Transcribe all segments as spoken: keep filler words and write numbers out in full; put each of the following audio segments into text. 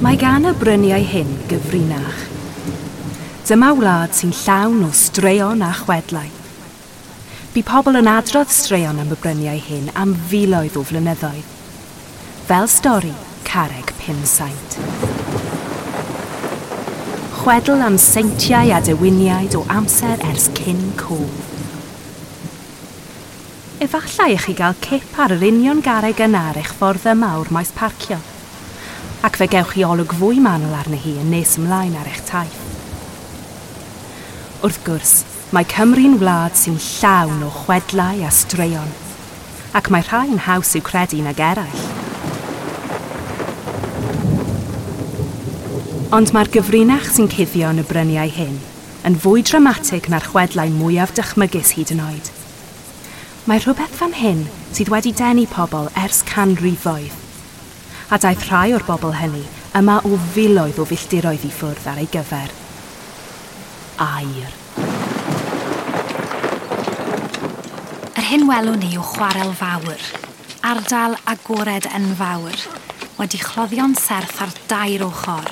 Mae gan y bryniau hyn gyfrinach. Dyma wlad sy'n llawn o straeon a chwedlau. Bu pobl yn adrodd straeon am y bryniau hyn am filoedd o flynyddoedd. Fel stori Carreg Pumsaint. Chwedl am seintiau a dewiniaid o amser ers cyn cof. Efallai i chi gael cip ar yr union garreg yna ar eich ffordd yma o'r maes parcio, ac fe gewch chi olwg fwy manwl arni hi yn nes ymlaen ar eich taith. Wrth gwrs, mae Cymru'n wlad sy'n llawn o chwedlau a straeon, ac mae rhai yn haws i'w credu nag eraill. Ond mae'r gyfrinach sy'n cuddio yn y bryniau hyn yn fwy dramatig na'r chwedlau mwyaf dychmygus hyd yn oed. Mae rhywbeth fan hyn sydd wedi denu pobl ers canrifoedd, a daeth rhai o'r bobl hynny yma o filoedd o filltiroedd i ffwrdd ar ei gyfer. Aur. Yr hyn welwn ni yw chwarel fawr, ardal agored enfawr, wedi chloddio'n serth ar dair ochr.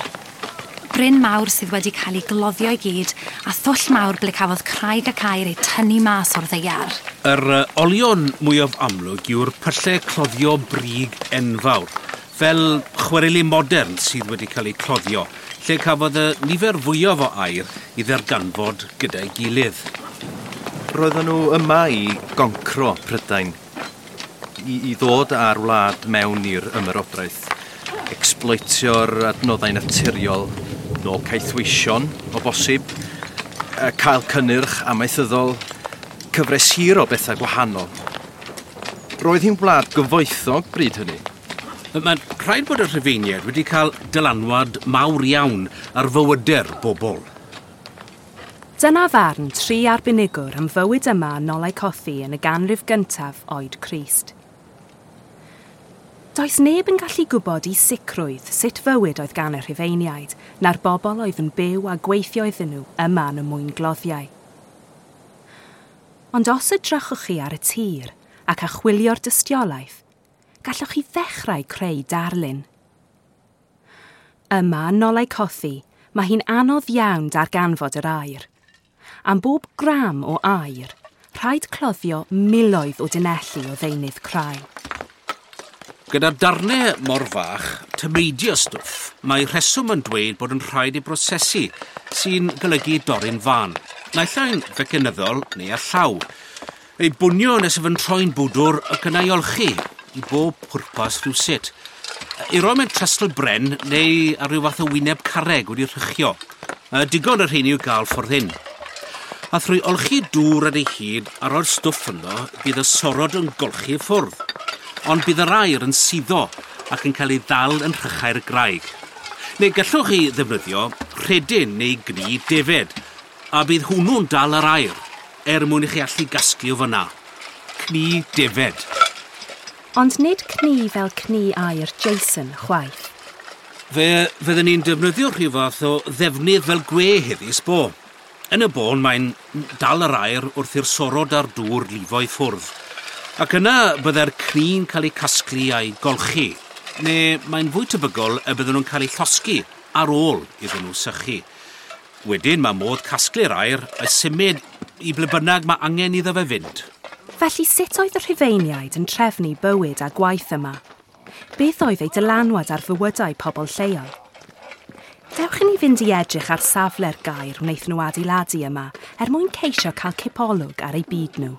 Bryn mawr sydd wedi cael ei gloddio i gyd a thwll mawr ble cafodd craig ac aur ei tynnu mas o'r ddaear. Yr olion mwyaf amlwg yw'r pyllau cloddio brig enfawr, fel chwareli modern sydd wedi cael eu cloddio, lle cafodd y nifer fwyaf o aur i ddarganfod gyda'i gilydd. Roedden nhw yma i goncro Prydain, i, i ddod â'r wlad mewn i'r ymerodraeth, exploitio'r adnoddau naturiol, nôl caethweision o bosib, cael cynnyrch amaethyddol, cyfres hir o bethau gwahanol. Roedd hi'n wlad gyfoethog bryd hynny. Mae'n rhaid bod y Rhufeiniaid wedi cael dylanwad mawr iawn ar fywydau'r bobl. Dyna farn tri arbenigwr am fywyd yma yn Nolaucothi yn y ganrif gyntaf oed Crist. Does neb yn gallu gwybod i sicrwydd sut fywyd oedd gan y Rhufeiniaid na'r bobl oedd yn byw a gweithio iddyn nhw yma yn y mwyngloddiau. Ond os edrychwch chi ar y tir ac achwilio'r dystiolaeth, gallwch chi ddechrau creu darlun. Yma yn Nolaucothi, mae hi'n anodd iawn darganfod yr aur. Am bob gram o aur, rhaid cloddio miloedd o dunelli o ddeunydd crai. Gyda darnau mor fach, tameidio stwff, mae rheswm yn dweud bod yn rhaid ei brosesu, sy'n golygu dorri'n fân. Naill ai'n fecanyddol neu â llaw. Ei bwnio nes y troi'n bwdwr ac yna ei olchi, i bob pwrpas rhywsut. Ei roi mewn trestl bren neu ar ryw fath o wyneb carreg wedi rhychio. Digon yr rheini i'w gael ffordd hyn. A thrwy olchi dŵr ar ei hyd a roi'r stwff ynddo, bydd y sorod yn golchi i ffwrdd. Ond bydd yr aur yn suddo ac yn cael ei ddal yn rhychau'r graig. Neu gallwch chi ddefnyddio rhedyn neu gnu defed, a bydd hwnnw'n dal yr aur, er mwyn i chi allu gasglu o fyna. Cnu defed. Ond nid cnu fel cnu aur Jason chwaith. Fe fydden ni'n defnyddio rhyw fath o ddefnydd fel gwe heddi, sbo. Yn y bôn mae'n dal yr aur wrth i'r sorod a'r dŵr lifo i ffwrdd. Ac yna byddai'r cnu'n cael ei casglu a'i golchi, neu mae'n fwy tebygol y bydden nhw'n cael eu llosgi ar ôl iddyn nhw sychu. Wedyn mae modd casglu'r aur a symud i ble bynnag mae angen iddo fe fynd. Felly sut oedd y Rhufeiniaid yn trefnu bywyd a gwaith yma? Beth oedd eu dylanwad ar fywydau pobl lleol? Dewch i ni fynd i edrych ar safle'r gaer wnaethon nhw adeiladu yma er mwyn ceisio cael cipolwg ar eu byd nhw.